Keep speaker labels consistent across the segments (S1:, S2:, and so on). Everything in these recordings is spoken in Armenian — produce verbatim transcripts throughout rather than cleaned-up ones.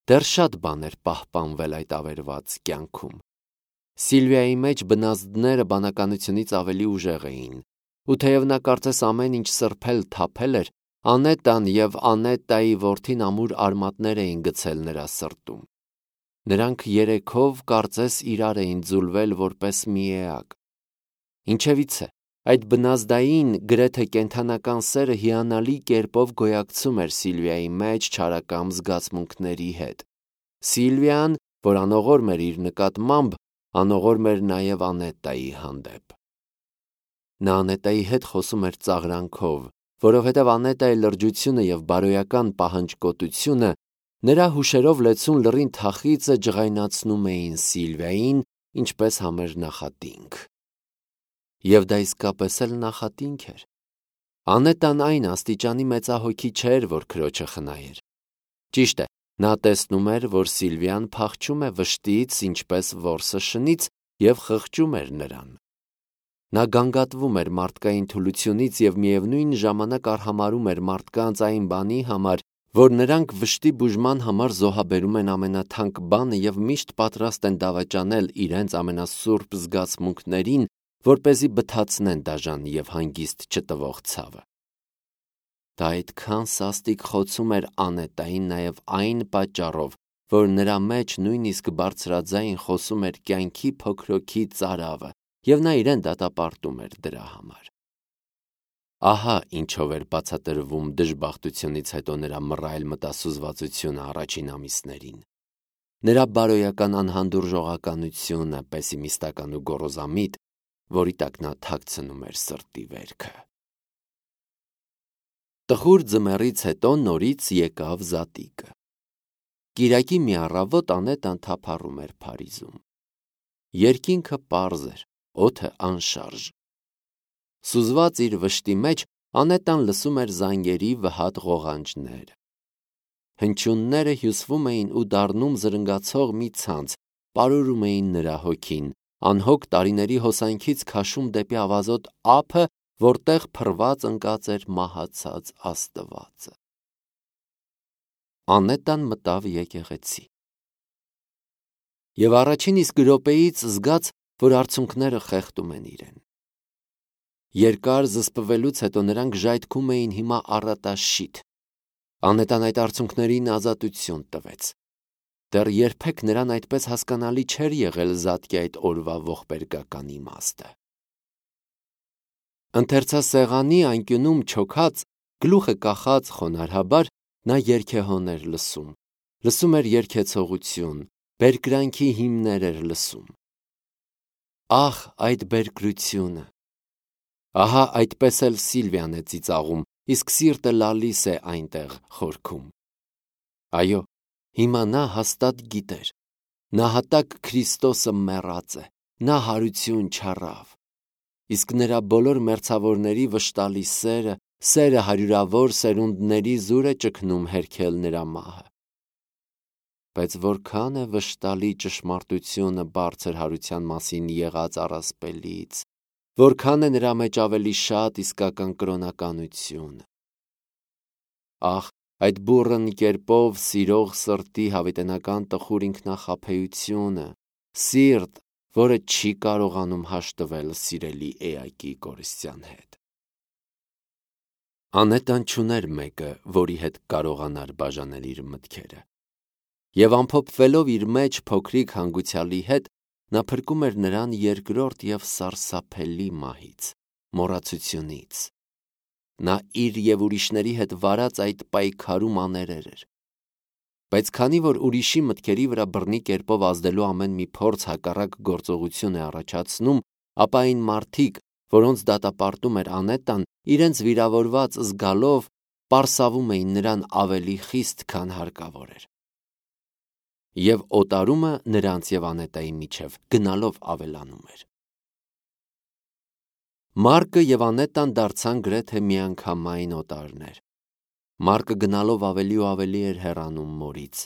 S1: Դեռ շատ բան էր պահպանվել այդ ավերված կյանքում։ Սիլվիայի մեջ բնազդները բանականությունից ավելի ուժեղ էին, ու թեև նա կարծես ամեն ինչ սրբել թափել էր, Անետան և Անետայի որդին ամուր արմատներ էին գցել նրա սրտում։ Նրանք երեքով կարծես իրար էին ձուլվել որպես մի էակ։ Ինչևիցե, այդ բնազդային, գրեթե կենդանական սերը հիանալի կերպով գոյակցում էր Սիլվիայի մեջ չարակամ զգացմունքների հետ։ Սիլվիան, որ անողորմ էր իր նկատմամբ, անողորմ էր նաև Անետայի հանդեպ։ Նա Անետայի հետ խոսում էր ծաղրանքով, որովհետև Անետայի լրջությունը և բարոյական պահանջկոտությունը նրա հուշերով լեցուն լռին թախիծը ջղայնացնում էին Սիլվիային, ինչպես համեր նախատինք։ Եվ դա իսկապես էլ նախատինք էր։ Անետան այն աստիճանի մեծահոգի չէր, որ քրոջը խնայեր։ Ճիշտ է, նա տեսնում էր, որ Սիլվիան փախչում է վշտից, ինչպես որսը շնից, և խղճում էր նրան։ Նա գանգատվում էր մարդկային թուլությունից և միևնույն ժամանակ արհամարհում էր մարդկանց այն բանի համար, որ նրանք վշտի բուժման համար զոհաբերում են ամենաթանկ բանը և միշտ պատրաստ են դավաճանել իրենց ամենասուրբ զգացմունքներին, որպեսզի բթացնեն դաժան և հանգիստ չտվող ցավը։ Դա այդքան սաստիկ խոցում էր Անետային նաև այն պատճառով, որ նրա մեջ նույնիսկ բարձրաձայն խոսում էր կյանքի փոքրոքի ծարավը, և նա իրեն դատապարտում էր դրա համար։ Ահա ինչով էր բացատրվում դժբախտությունից հետո նրա մռայլ մտասուզվածությունը առաջին ամիսներին։ Նրա բարոյական անհանդուրժողականությունը, պեսիմիստական ու գոռոզամիտ, որի տակ նա թաքցնում էր սրտի վերքը։ Տխուր ձմեռից հետո նորից եկավ զատիկը։ Կիրակի մի առավոտ Անետան թափառում էր Փարիզում։ Երկինքը պարզ էր, օդը անշարժ։ Սուզված իր վշտի մեջ Անետան լսում էր զանգերի վհատ ղողանջները։ Հնչյունները հյուսվում էին ու դառնում զրնգացող մի ցանց, պարուրում էին նրա հոգին, անհոգ տարիների հոսանքից քաշում դեպի ավազոտ ափը, որտեղ փռված ընկած էր մահացած Աստվածը։ Անետան մտավ եկեղեցի։ Եվ առաջին իսկ րոպեից զգաց, որ արցունքները խեղդում են իրեն։ Երկար զսպվելուց հետո նրանք ժայթքում էին հիմա առատաշիթ։ Անետան այդ արցունքներին ազատություն տվեց։ Դեռ երբեք նրան այդպես հասկանալի չէր եղել զատկի այդ օրվա ողբերգական իմաստը։ Ընթերցասեղանի անկյունում չոքած, գլուխը կախած խոնարհաբար, նա երգեհոն էր լսում, լսում էր երգեցողություն, բերկրանքի հիմներ էր լսում։ Ահ, այդ բերկրությունը։ Ահա այդպես էլ Սիլվիան է ծիծաղում, իսկ սիրտը լալիս է այնտեղ խորքում։ Այո, հիմա նա հաստատ գիտեր։ Նահատակ Քրիստոսը մեռած է, նա հարություն չառավ։ Իսկ նրա բոլոր մերձավորների վշտալի սերը, սերը հարյուրավոր սերունդների զուր է ճգնում հերքել նրա մահը։ Բայց որքան է վշտալի ճշմարտությունը բարձր հարության մասին եղած առասպելից, որքան է նրա մեջ ավելի շատ իսկական կրոնականությունը։ Ահ, այդ բուռն կերպով սիրող սրտի հավիտենական տխուր ինքնախաբեությունը, սիրտ, որը չի կարողանում հաշտվել սիրելի էակի կորստյան հետ։ Անետան չուներ մեկը, որի հետ կարողանար բաժանել իր մտքերը։ Եվ ամփոփվելով իր մեջ փոքրիկ հանգուցյալի հետ, նա փրկում էր նրան երկրորդ և սարսափելի մահից, մոռացությունից։ Նա իր և ուրիշների հետ վարած այդ պայքարում աներեր էր։ Բայց քանի որ ուրիշի մտքերի վրա բռնի կերպով ազդելու ամեն մի փորձ հակառակ գործողություն է առաջացնում, ապա այն մարդիկ, որոնց դատապարտում էր Անետան, իրենց վիրավորված զգալով, պարսավում էին նրան ավելի խիստ, քան հարկավոր էր։ Եվ օտարումը նրանց և Անետայի միջև գնալով ավելանում էր։ Մարկը և Անետան դարձան գրեթե միանգամայն օտարներ։ Մարկը գնալով ավելի ու ավելի էր հեռանում մորից։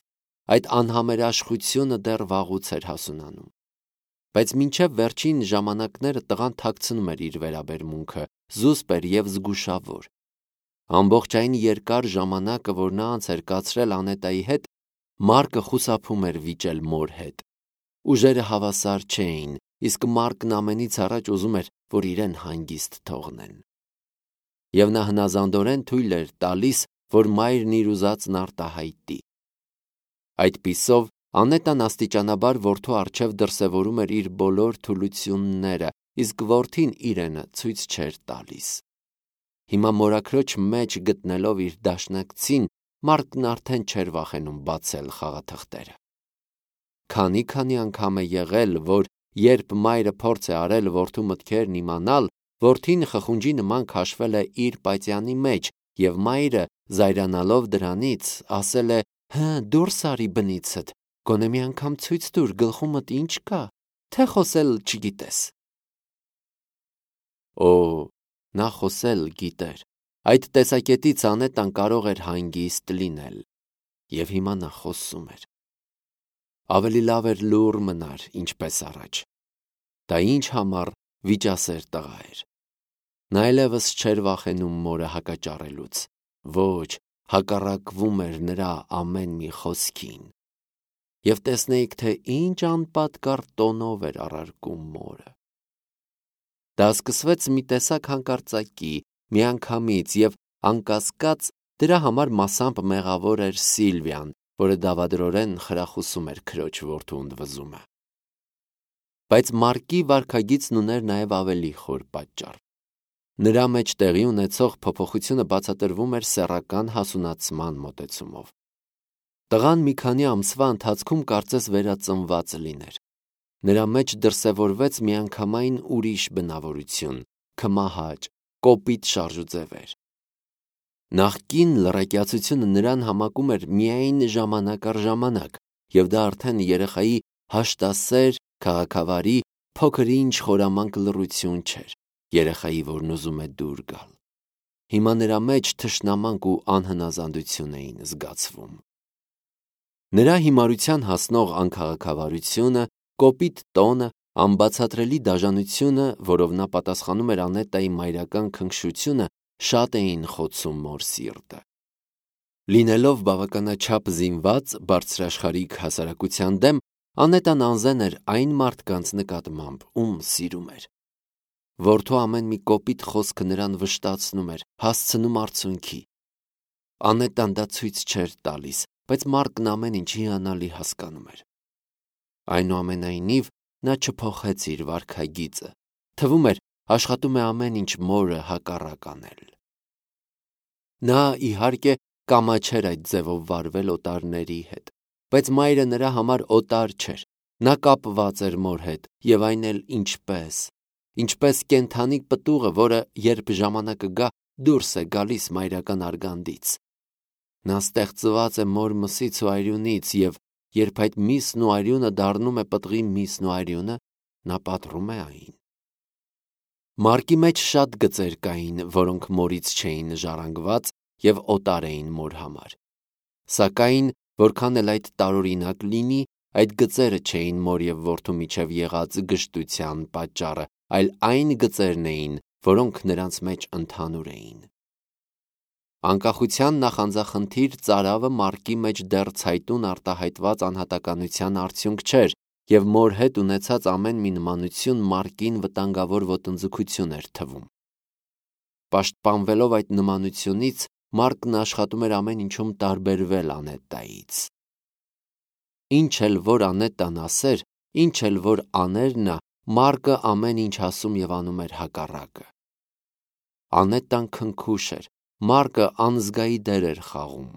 S1: Այդ անհամերաշխությունը դեռ վաղուց էր հասունանում։ Բայց մինչև վերջին ժամանակները տղան թաքցնում էր իր վերաբերմունքը, զուսպ էր և զգուշավոր։ Ամբողջ այն երկար ժամանակը, որ նա անց էր կացրել Անետայի հետ, Մարկը խուսափում էր վիճել մոր հետ։ Ուժերը հավասար չէին, իսկ Մարկն ամենից առաջ ուզում էր, որ իրեն հանգիստ թողնեն։ Եվ նա հնազանդորեն թույլ էր տալիս, որ մայրն իր ուզածն արտահայտի։ Այդպիսով Անետան աստիճանաբար որդու առջև դրսևորում էր իր բոլոր թուլությունները, իսկ որդին իրենը ցույց չէր տալիս։ Հիմա մորաքրոջ մեջ գտնելով իր դաշնակցին, Մարկն արդեն չէր վախենում բացել խաղաթղթերը։ Քանի-քանի անգամ է եղել, որ երբ մայրը փորձ է արել որդու մտքերն իմանալ, որդին խխունջի նման քաշվել է իր պատյանի մեջ, եւ մայրը, զայրանալով դրանից, ասել է. «Հը, դուրս արի բնիցդ, գոնե մի անգամ ցույց տուր գլխումդ ինչ կա, թե խոսել չգիտես»։ Օ, նա խոսել գիտեր։ Այդ տեսակետից Անետան կարող էր հանգիստ լինել։ Եվ հիմա նա խոսում էր։ Ավելի լավ էր լուռ մնար, ինչպես առաջ։ Դա ինչ համար վիճասեր տղա էր։ Նա այլևս չէր վախենում մորը հակաճառելուց։ Ոչ, հակառակվում էր նրա ամեն մի խոսքին։ Եվ տեսնեիք, թե ինչ անպատկառ տոնով էր առարկում մորը։ Դա սկսվեց մի տեսակ հանկարծակի, միանգամից, եւ անկասկած դրա համար մասամբ մեղավոր էր Սիլվիան, որը դավադրորեն խրախուսում էր քրոջ որդու ընդվզումը։ Բայց Մարկի վարքագիծն ուներ նաև ավելի խոր պատճառ։ Նրա մեջ տեղի ունեցող փոփոխությունը բացատրվում էր սեռական հասունացման մոտեցումով։ Տղան մի քանի ամսվա ընթացքում կարծես վերածնված լիներ։ Նրա մեջ դրսևորվեց միանգամայն ուրիշ բնավորություն, քմահաճ, կոպիտ շարժուձևեր։ Նախկին լռակյացությունը նրան համակում էր միայն ժամանակ առ ժամանակ, եւ դա արդեն երեխայի հաշտասեր, քաղաքավարի, փոքր-ինչ խորամանկ լռություն չէր, երեխայի, որն ուզում է դուր գալ։ Հիմա նրա մեջ թշնամանք ու անհնազանդություն էին զգացվում։ Նրա հիմարության հասնող անքաղաքավարությունը, կոպիտ տոնը, անբացատրելի դաժանությունը, որով նա պատասխանում էր Անետայի մայրական քնքշությունը, շատ էին խոցում մոր սիրտը։ Լինելով բավականաչափ զինված բարձրաշխարհիկ հասարակության դեմ, Անետան անզեն էր այն մարդկանց նկատմամբ, ում սիրում էր։ Որդու ամեն մի կոպիտ խոսքը նրան վշտացնում էր, հասցնում արցունքի։ Անետան դա ցույց չէր տալիս, բայց Մարկն ամեն ինչ հիանալի հասկանում էր։ Այնուամենայնիվ, նա չփոխեց իր վարքագիծը։ Թվում էր, աշխատում է ամեն ինչ մորը հակառակ անել։ Նա, իհարկե, կամաչեր այդ ձևով վարվել օտարների հետ, բայց մայրը նրա համար օտար չէր։ Նա կապված էր մոր հետ, եւ այն էլ ինչպես, ինչպես կենդանի պտուղը, որը, երբ ժամանակը գա, դուրս է գալիս մայրական արգանդից։ Նա ստեղծված է մոր մսից ու արյունից, եւ երբ այդ միսն ու արյունը դառնում է պտղի միսն ու արյունը, նա պատռում է այն։ Մարկի մեջ շատ գծեր կային, որոնք մորից չէին ժառանգված եւ օտար էին մոր համար։ Սակայն, որքան էլ այդ տարօրինակ լինի, այդ գծերը չէին մոր եւ որդու միջև եղած գժտության պատճառը, այլ այն գծերն էին, որոնք նրանց մեջ ընդհանուր էին։ Անկախության նախանձախնդիր ծարավը Մարկի մեջ դեռ ցայտուն արտահայտված անհատականության արդյունք չէր, եւ մոր հետ ունեցած ամեն մի նմանություն Մարկին վտանգավոր ոտնձգություն էր թվում։ Պաշտպանվելով այդ նմանությունից, Մարկն աշխատում էր ամեն ինչում տարբերվել Անետայից։ Ինչ էլ որ Անետան ասեր, ինչ էլ որ աներ նա, Մարկը ամեն ինչ ասում եւ անում էր հակառակը։ Անետան քնքուշ էր, Մարկը անզգայի դեր էր խաղում։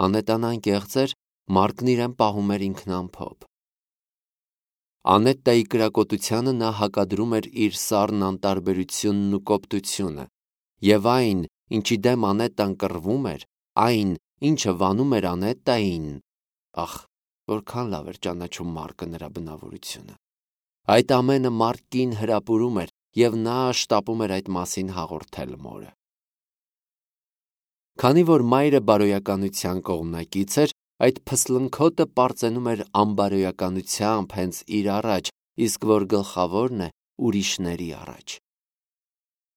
S1: Անետան անկեղծ էր, Մարկն իրեն պահում էր ինքնամփոփ։ Անետայի կրակոտությանը նա հակադրում էր իր սառն անտարբերությունն ու կոպտությունը, եւ այն, ինչի դեմ Անետան կռվում էր, այն, ինչը վանում էր Անետային, ախ, որքան լավ էր ճանաչում Մարկը նրա բնավորությունը։ Այդ ամենը Մարկին հրապուրում էր, եւ նա շտապում էր այդ մասին հաղորդել մորը։ Քանի որ մայրը բարոյականության կողմնակից էր, այդ փսլնքոտը պարծենում էր անբարոյականությամբ հենց իր առաջ, իսկ որ գլխավորն է ուրիշների առաջ։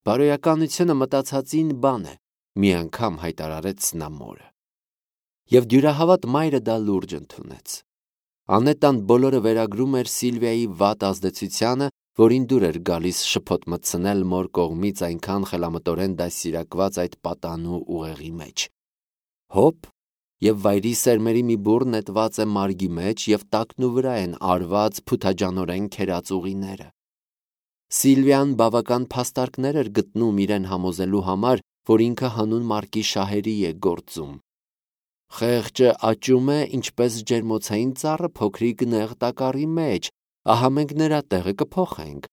S1: Բարոյականությունը մտածածին բան է, մի անգամ հայտարարեց նա մորը։ եւ դյուրահավատ մայրը դա լուրջ ընդունեց։ Անետան բոլորը վերագրում էր Սիլվիայի վատ ազդեցությանը, որին դուր էր գալիս շփոթ մտցնել մոր կողմից այնքան խելամտորեն դասիրակված այդ պատանու ուղեղի մեջ։ Հոп, եւ վայրի սերմերի մի բուռ նետված է մարգի մեջ եւ տակնու վրա են արված փութաջանորեն քերած ուղիները։ Սիլվիան բավական փաստարկներ էր գտնում իրեն համոզելու համար, որ ինքը հանուն մարկի շահերի է գործում։ Խեղճը աճում է ինչպես ջերմոցային ծառը փոքրիկ նեղ տակառի մեջ, ահա մենք նրա տեղը կփոխենք։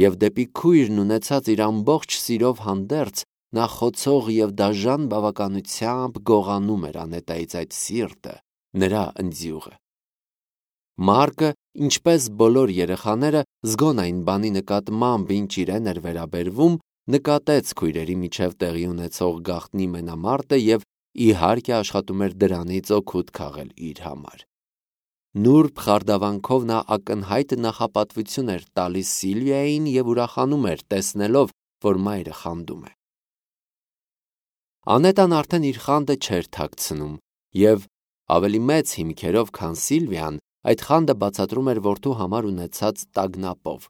S1: Եվ դեպի քույրն ունեցած իր ամբողջ սիրով հանդերձ նա խոցող եւ դաժան բավականությամբ գողանում էր Անետայից այդ սիրտը, նրա ընձյուղը։ Մարկը, ինչպես բոլոր երեխաները, զգոն այն բանի նկատմամբ, ինչ իրեն էր վերաբերվում, նկատեց քույրերի միջև տեղի ունեցող գաղտնի մենամարտը եւ իհարկե աշխատում էր դրանից օգուտ քաղել իր համար։ Նուրբ խարդավանքով նա ակնհայտ նախապատվություն էր տալիս Սիլվիային եւ ուրախանում էր, տեսնելով, որ մայրը խանդում է։ Անետան արդեն իր խանդը չէր թաքցնում եւ ավելի մեծ հիմքերով, քան Սիլվիան, այդ խանդը բացատրում էր որդու համար ունեցած տագնապով։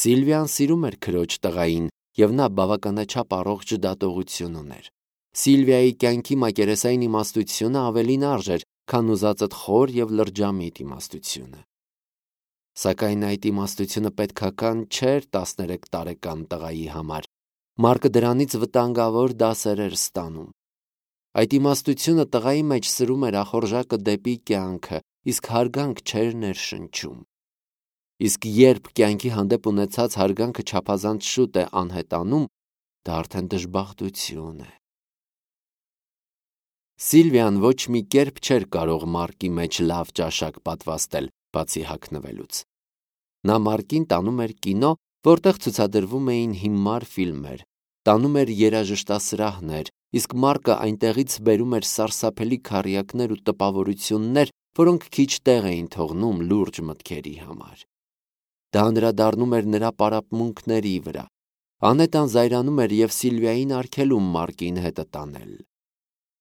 S1: Սիլվիան սիրում էր քրոջ տղային եւ նա բավականաչափ առողջ դատողություն ուներ։ Սիլվիայի կյանքի մակերեսային իմաստությունը ավելին արժ էր, քան ուզածդ խոր եւ լրջամիտ իմաստությունը։ Սակայն այդ իմաստությունը պետքական չէր տասներեք տարեկան տղայի համար։ Մարկը դրանից վտանգավոր դասեր էր ստանում։ Այդ իմաստությունը տղայի մեջ սրում էր ախորժակը դեպի կյանքը, իսկ հարգանք չէր ներշնչում։ Իսկ երբ կյանքի հանդեպ ունեցած հարգանքը չափազանց շուտ է անհետանում, դա արդեն դժբախտություն է։ Սիլվիան ոչ մի կերպ չէր կարող Մարկի մեջ լավ ճաշակ պատվաստել, բացի հագնվելուց։ Նա Մարկին տանում էր կինո, որտեղ ցուցադրվում էին հիմար ֆիլմեր, տանում էր երաժշտասրահներ, իսկ Մարկը այնտեղից բերում էր սարսափելի քառյակներ ու տպավորություններ, որոնք քիչ տեղ էին թողնում լուրջ մտքերի համար։ Դա անդրադառնում էր նրա պարապմունքների վրա։ Անետան զայրանում էր եւ Սիլվիային արգելում Մարկին հետը տանել։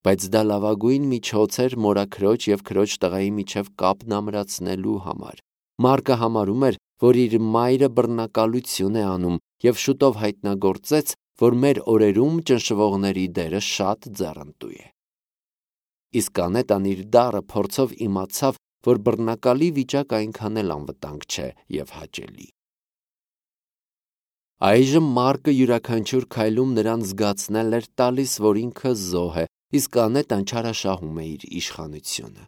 S1: Բայց դա լավագույն միջոց էր մորաքրոջ եւ քրոջ տղայի միջև կապն ամրացնելու համար։ Մարկը համարում էր, որ իր մայրը բռնակալություն է անում եւ շուտով հայտնագործեց, որ մեր օրերում ճնշվողների դերը շատ ձեռնտու է։ Իսկ Անետան իր դառը փորձով իմացավ, որ բռնակալի վիճակ այնքան էլ անվտանգ չէ եւ հաճելի։ Այժմ Մարկը յուրաքանչյուր քայլում նրան զգացնել էր տալիս, որ ինքը զոհ է, իսկ Անետան չարաշահում է իր իշխանությունը։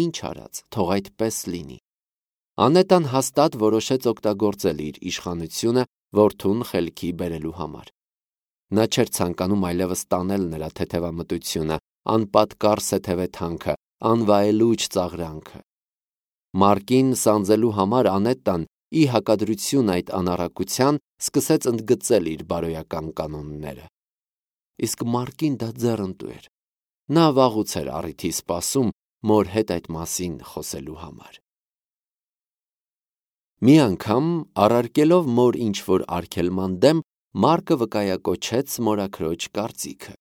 S1: Ինչ արած, թող այդպես լինի։ Անետան հաստատ որոշեց օգտագործել իր իշխանությունը որդուն խելքի բերելու համար։ Նա չէր ցանկանում այլևս տանել նրա թեթևամտությունը, անպատկառ սեթևեթանքը, անվայելուչ ծաղրանքը։ Մարկին սանձելու համար Անետան, ի հակադրություն այդ անառակության, սկսեց ընդգծել իր բարոյական կանոնները։ Իսկ Մարկին դա ձեռնտու էր։ Նա վաղուց էր առիթի սպասում մոր հետ այդ մասին խոսելու համար։ Մի անգամ, առարկելով մոր ինչ-որ արգելման դեմ, Մարկը վկայակոչեց մորաքրոջ կարծիքը։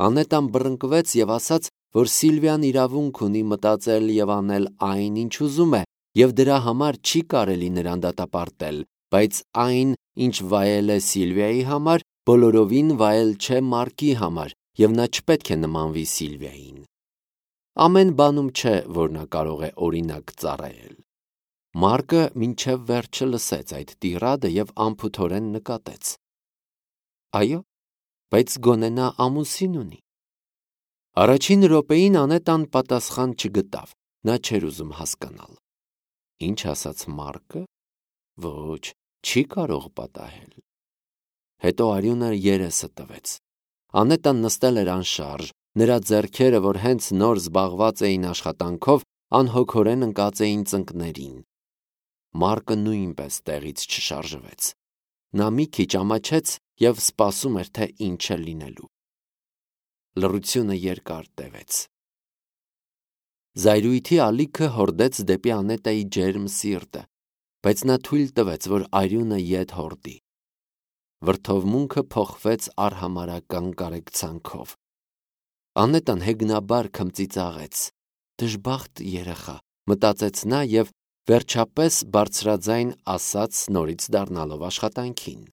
S1: Անետան բռնկվեց եւ ասաց, որ Սիլվիան իրավունք ունի մտածել եւ անել այն, ինչ ուզում է, եւ դրա համար չի կարելի նրան դատապարտել, բայց այն, ինչ վայել է Սիլվիայի համար, բոլորովին վայել չէ Մարկի համար, եւ նա չպետք է նմանվի Սիլվիային։ Ամեն բանում չէ, որ նա կարող է օրինակ ծառայել։ Մարկը մինչև վերջը լսեց այդ տիրադը եւ անփութորեն նկատեց. Այո, բայց գոնե նա ամուսին ունի։ Առաջին րոպեին Անետան պատասխան չգտավ, նա չէր ուզում հասկանալ։ Ինչ ասաց Մարկը։ Ոչ, չի կարող պատահել։ Հետո արյունը երեսը տվեց։ Անետան նստել էր անշարժ, նրա ձեռքերը, որ հենց նոր զբաղված էին աշխատանքով, անհոգորեն ընկած էին ծնկներին։ Մարկը նույնպես տեղից չշարժվեց։ Նա մի քիչ ամաչեց եւ սպասում էր, թե ինչ է լինելու։ Լռությունը երկար տևեց։ Զայրույթի ալիքը հորդեց դեպի Անետայի ջերմ սիրտը, բայց նա թույլ տվեց, որ արյունը ետ հորդի։ Վրդովմունքը փոխվեց արհամարհական կարեկցանքով։ Անետան հեգնաբար քմծիծաղեց։ Դժբախտ երեխա, մտածեց նա և վերջապես բարձրաձայն ասաց նորից դառնալով աշխատանքին.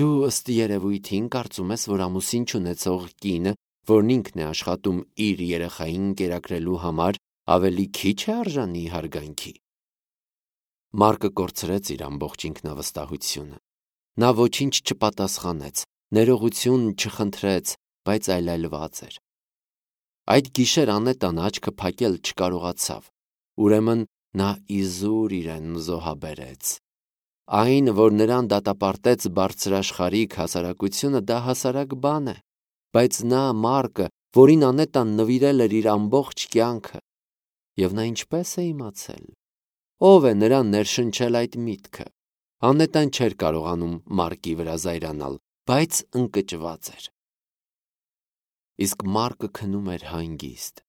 S1: Դու ըստ երևույթին կարծում ես, որ ամուսին չունեցող կինը, որն ինքն է աշխատում իր երեխային կերակրելու համար, ավելի քիչ է արժանի հարգանքի։ Մարկը կորցրեց իր ամբողջ ինքնավստահությունը։ Նա ոչինչ չպատասխանեց, ներողություն չխնդրեց, բայց այլայլված էր։ Այդ գիշեր Անետան աչքը փակել չկարողացավ, ուրեմն նա իզուր իրեն զոհաբերեց։ Այն, որ նրան դատապարտեց բարձրաշխարհիկ հասարակությունը, դա հասարակ բան է, բայց նա Մարկը, որին Անետան նվիրել էր իր ամբողջ կյանքը, և նա ինչպես է իմացել, ով է նրան ներշնչել այդ միտքը։ Անետան չէր կարողանում Մարկի վրա զայրանալ, բայց ընկճված էր։ Իսկ Մարկը քնում էր հանգիստ։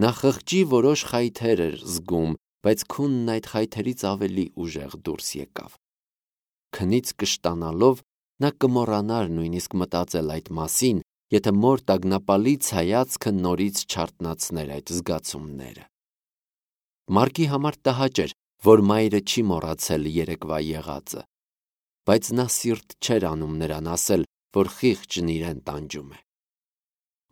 S1: Նա խղճի որոշ խայթեր էր զգում, բայց քունն այդ խայթերից ավելի ուժեղ դուրս եկավ։ Քնից կշտանալով նա կմոռանար նույնիսկ մտածել այդ մասին, եթե մոր տագնապալից հայացքը նորից չարթնացներ այդ զգացումները։ Մարկի համար տհաճ էր, որ մայրը չի մոռացել երեկվա եղածը, բայց նա սիրտ չէր անում նրան ասել, որ խիղճն իրեն տանջում է։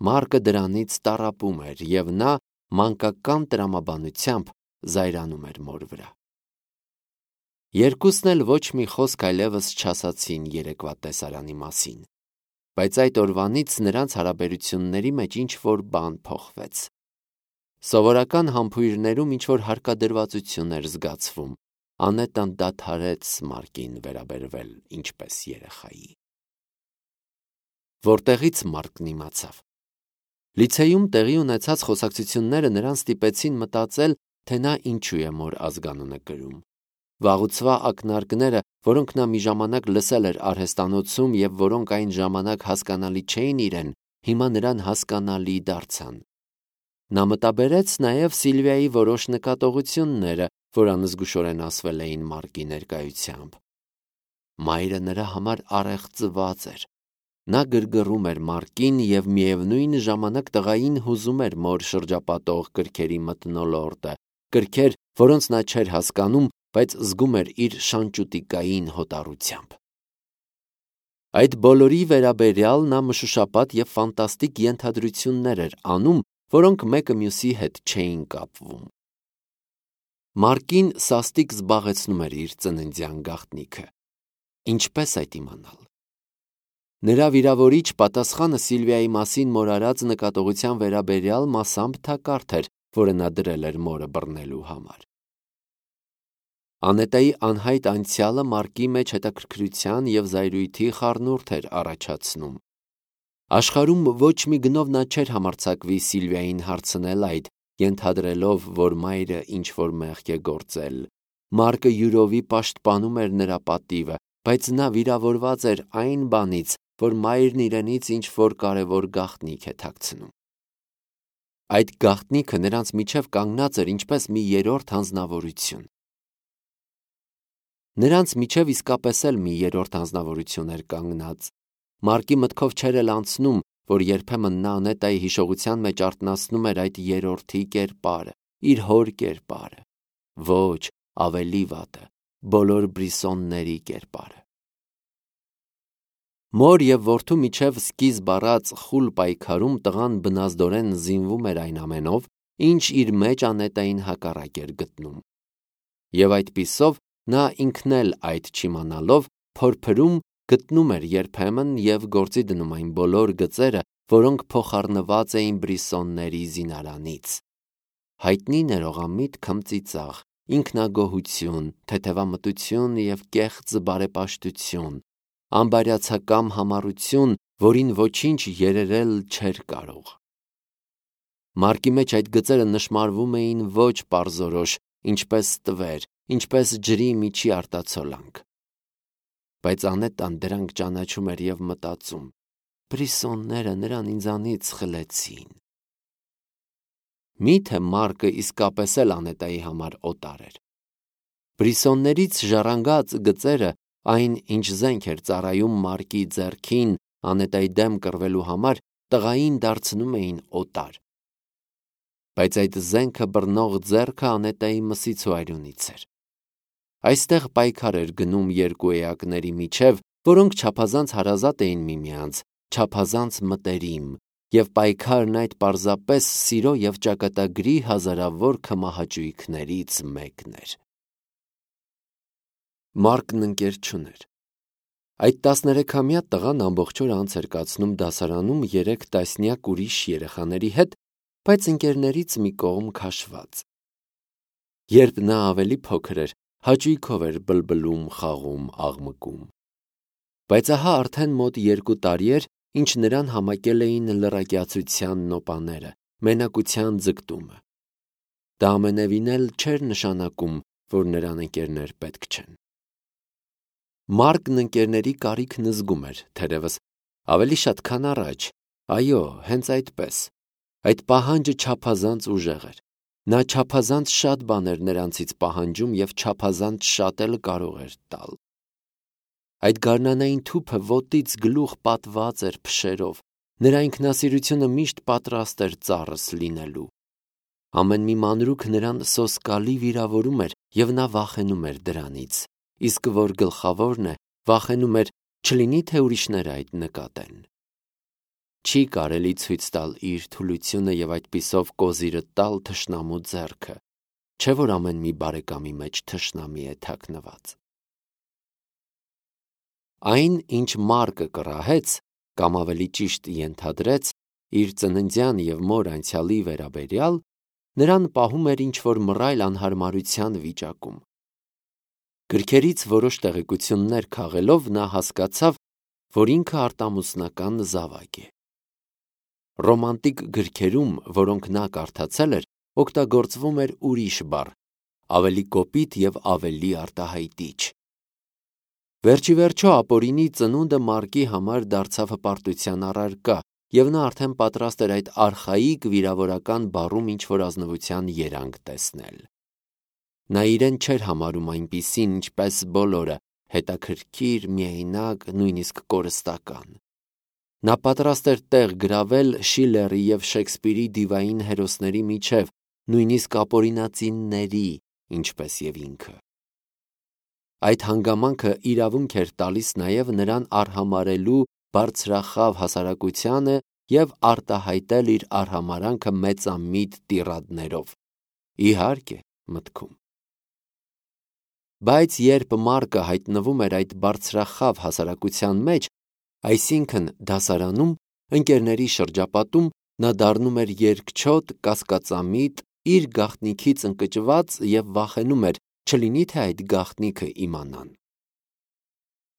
S1: Մարկը դրանից տառապում էր, և նա մանկական տրամաբանությամբ զայրանում էր մոր վրա։ Երկուսն էլ ոչ մի խոսք այլևս չասացին երեկվա տեսարանի մասին, բայց այդ օրվանից նրանց հարաբերությունների մեջ ինչ-որ բան փոխվեց։ Սովորական համբույրներում ինչ-որ հարկադրվածություն էր զգացվում։ Անետան դադարեց Մարկին վերաբերվել ինչպես երեխայի։ Որտեղից Մարկն իմացավ։ Լիցեյում տեղի ունեցած խոսակցությունները նրան ստիպեցին մտածել, թե նա ինչու է մոր ազգանունը կրում։ Վաղուցվա ակնարկները, որոնք նա մի ժամանակ լսել էր արհեստանոցում և որոնք այն ժամանակ հասկանալի չէին իրեն, հիմա նրան հասկանալի դարձան։ Նա մտաբերեց նաև Սիլվիայի որոշ նկատողությունները, որ անզգուշորեն ասվել էին Մարկի ներկայությամբ։ Մայրը նրա համար առեղծված էր։ Նա գրգռում էր Մարկին և միևնույն ժամանակ տղային հուզում էր մոր շրջապատող կրքերի մթնոլորտը, կրքեր, որոնց նա չէր հասկանում, բայց զգում էր իր շանճուտիկային հոտառությամբ։ Այդ բոլորի վերաբերյալ նա մշուշապատ և ֆանտաստիկ ենթադրություններ էր անում, որոնք մեկը մյուսի հետ չէին կապվում։ Մարկին սաստիկ զբաղեցնում էր իր ծննդյան գաղտնիքը։ Ինչպես այդ իմանալ։ Նրա վիրավորիչ պատասխանը Սիլվիայի մասին մոր արած նկատողության վերաբերյալ մասամբ թակարդ էր, որը նա դրել էր մորը բռնելու համար։ Անետայի անհայտ անցյալը Մարկի մեջ հետաքրքրության և զայրույթի խառնուրդ էր առաջացնում։ Աշխարհում ոչ մի գնով նա չէր համարձակվի Սիլվիային հարցնել այդ, ենթադրելով, որ մայրը ինչ-որ մեղք է գործել։ Մարկը յուրովի պաշտպանում էր նրա պատիվը, բայց նա վիրավորված էր այն բանից, որ մայրն իրենից ինչ-որ կարևոր գաղտնիք է թաքցնում։ Այդ գաղտնիքը նրանց միջև կանգնած էր ինչպես մի երրորդ հանձնավորություն։ Նրանց միջև իսկապես էլ մի երրորդ հանձնավորություն էր կանգնած։ Մարկի մտքով չէր էլ անցնում, որ երբեմն նա Անետայի հիշողության մեջ արթնացնում էր այդ երրորդի կերպարը, իր հոր կերպարը։ Ոչ, ավելի վատը, բոլոր Բրիսոնների կերպարը։ Մոր և որդու միջև սկիզբ առած խուլ պայքարում տղան բնազդորեն զինվում էր այն ամենով, ինչ իր մեջ Անետային հակառակ էր գտնում։ Եվ այդպիսով նա ինքն էլ այդ չիմանալով փորփրում գտնում էր երբեմն և գործի դնում այն բոլոր գծերը, որոնք փոխառնված էին Բրիսոնների զինարանից։ Հայտնի ներողամիտ քմծիծաղ, ինքնագոհություն, թեթևամտություն և կեղծ բարեպաշտություն, անբարյացակամ համառություն, որին ոչինչ երերել չէր կարող։ Մարկի մեջ այդ գծերը նշմարվում էին ոչ պարզորոշ, ինչպես տվեր, ինչպես ջրի միջի արտացոլանք։ Բայց Անետան դրանք ճանաչում էր և մտածում. Բրիսոնները նրան ինձանից խլեցին։ Միթե Մարկը իսկապես էլ Անետայի համար օտար էր։ Բրիսոններից ժառանգած գծերը, այն ինչ զենք էր ծառայում Մարկի ձեռքին Անետայի դեմ կռվելու համար, տղային դարձնում էին օտար։ Բայց այդ զենքը բռնող ձեռքը Անետայի մսից ու այրունից էր։ Այստեղ պայքար էր գնում երկու էակների միջև, որոնք չափազանց հարազատ էին միմյանց, չափազանց մտերիմ, և պայքարն այդ պարզապես սիրո և ճակատագրի հազարավոր քմահաճույքներից մեկն էր։ Մարկն ընկեր չուներ։ Այդ տասներեքամյա տղան ամբողջ օրը անց էր կացնում դասարանում երեք տասնյակ ուրիշ երեխաների հետ, բայց ընկերներից մի կողմ քաշված։ Երբ նա ավելի փոքր էր, հաճույքով էր բլբլում, խաղում, աղմկում։ Բայց ահա արդեն մոտ երկու տարի էր, ինչ նրան համակել էին լռակյացության նոպաները, մենակության ձգտումը։ Դա ամենևին էլ չէր նշանակում, որ նրան ընկերներ պետք չեն։ Մարկն ընկերների կարիքն զգում էր, թերևս, ավելի շատ քան առաջ, այո, հենց այդպես։ Այդ պահանջը չափազանց ուժեղ էր։ Նա չափազանց շատ բաներ նրանցից պահանջում և չափազանց շատ էլ կարող էր տալ։ Այդ գարնանային թուփը ոտից գլուխ պատված էր փշերով, նրա ինքնասիրությունը միշտ պատրաստ էր ծառս լինելու։ Ամեն մի մանրուք նրան սոսկալի վիրավորում էր, և նա վախենում էր դրանից, իսկ որ գլխավորն է, վախենում էր, չլինի թե ուրիշները այդ նկատեն։ Չի կարելի ցույց տալ իր թուլությունը և այդպիսով կոզիրը տալ թշնամու ձեռքը, չէ՞ որ ամեն մի բարեկամի մեջ թշնամի է թաքնված։ Այն, ինչ Մարկը կռահեց, կամ ավելի ճիշտ ենթադրեց, իր ծննդյան և մոր անցյալի վերաբերյալ, նրան պահում էր ինչ-որ մռայլ անհարմարության վիճակում։ Գրքերից որոշ տեղեկություններ քաղելով նա հասկացավ, որ ինքը արտամուսնական զավակ է։ Ռոմանտիկ գրքերում, որոնք նա կարդացել էր, օգտագործվում էր ուրիշ բառ, ավելի կոպիտ և ավելի արտահայտիչ։ Վերջիվերջո ապօրինի ծնունդը Մարկի համար դարձավ հպարտության առարկա, և նա արդեն պատրաստ էր այդ արխայիկ վիրավորական բառում ինչ-որ ազնվության երանգ տեսնել։ Նա իրեն չէր համարում այնպիսին, ինչպես բոլորը, հետաքրքիր, միայնակ, նույնիսկ կորստական։ Նա պատրաստ էր տեղ գրավել Շիլլերի և Շեքսպիրի դիվային հերոսների միջև, նույնիսկ ապօրինածինների, ինչպես և ինքը։ Այդ հանգամանքը իրավունք էր տալիս նաև նրան արհամարհելու բարձրախավ հասարակությանը և արտահայտել իր արհամարհանքը մեծամիտ տիրադներով, իհարկե, մտքում։ Բայց երբ Մարկը հայտնվում էր այդ բարձրախավ հասարակության մեջ, այսինքն դասարանում, ընկերների շրջապատում, նա դառնում էր երկչոտ, կասկածամիտ, իր գաղտնիքից ընկճված և վախենում էր, չլինի թե այդ գաղտնիքը իմանան։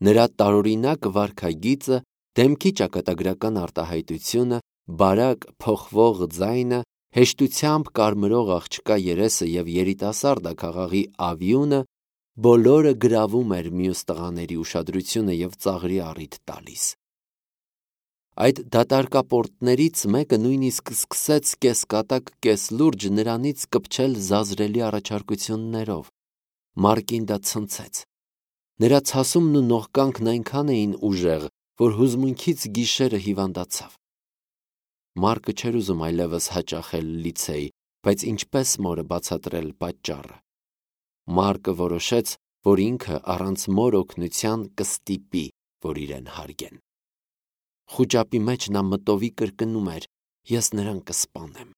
S1: Նրա տարօրինակ վարքագիծը, դեմքի ճակատագրական արտահայտությունը, բարակ, փոխվող ձայնը, հեշտությամբ կարմրող աղջկա երեսը և երիտասարդաքաղաղի ավյունը բոլորը գրավում էր մյուս տղաների ուշադրությունը և ծաղրի առիթ տալիս։ Այդ դատարկապորտներից մեկը նույնիսկ սկսեց կեսկատակ, կեսլուրջ նրանից կպչել զազրելի առաջարկություններով։ Մարկին դա ցնցեց։ Նրա ցասումն ու նողկանքն այնքան էին ուժեղ, որ հուզմունքից գիշերը հիվանդացավ։ Մարկը չէր ուզում այլևս հաճախել լիցեյ, բայց ինչպե՞ս մորը բացատրել պատճառը։ Մարկը որոշեց, որ ինքը առանց մոր օգնության կստիպի, որ իրեն հարգեն։ Խուճապի մեջ նա մտովի կրկնում էր. «Ես նրան կսպանեմ»։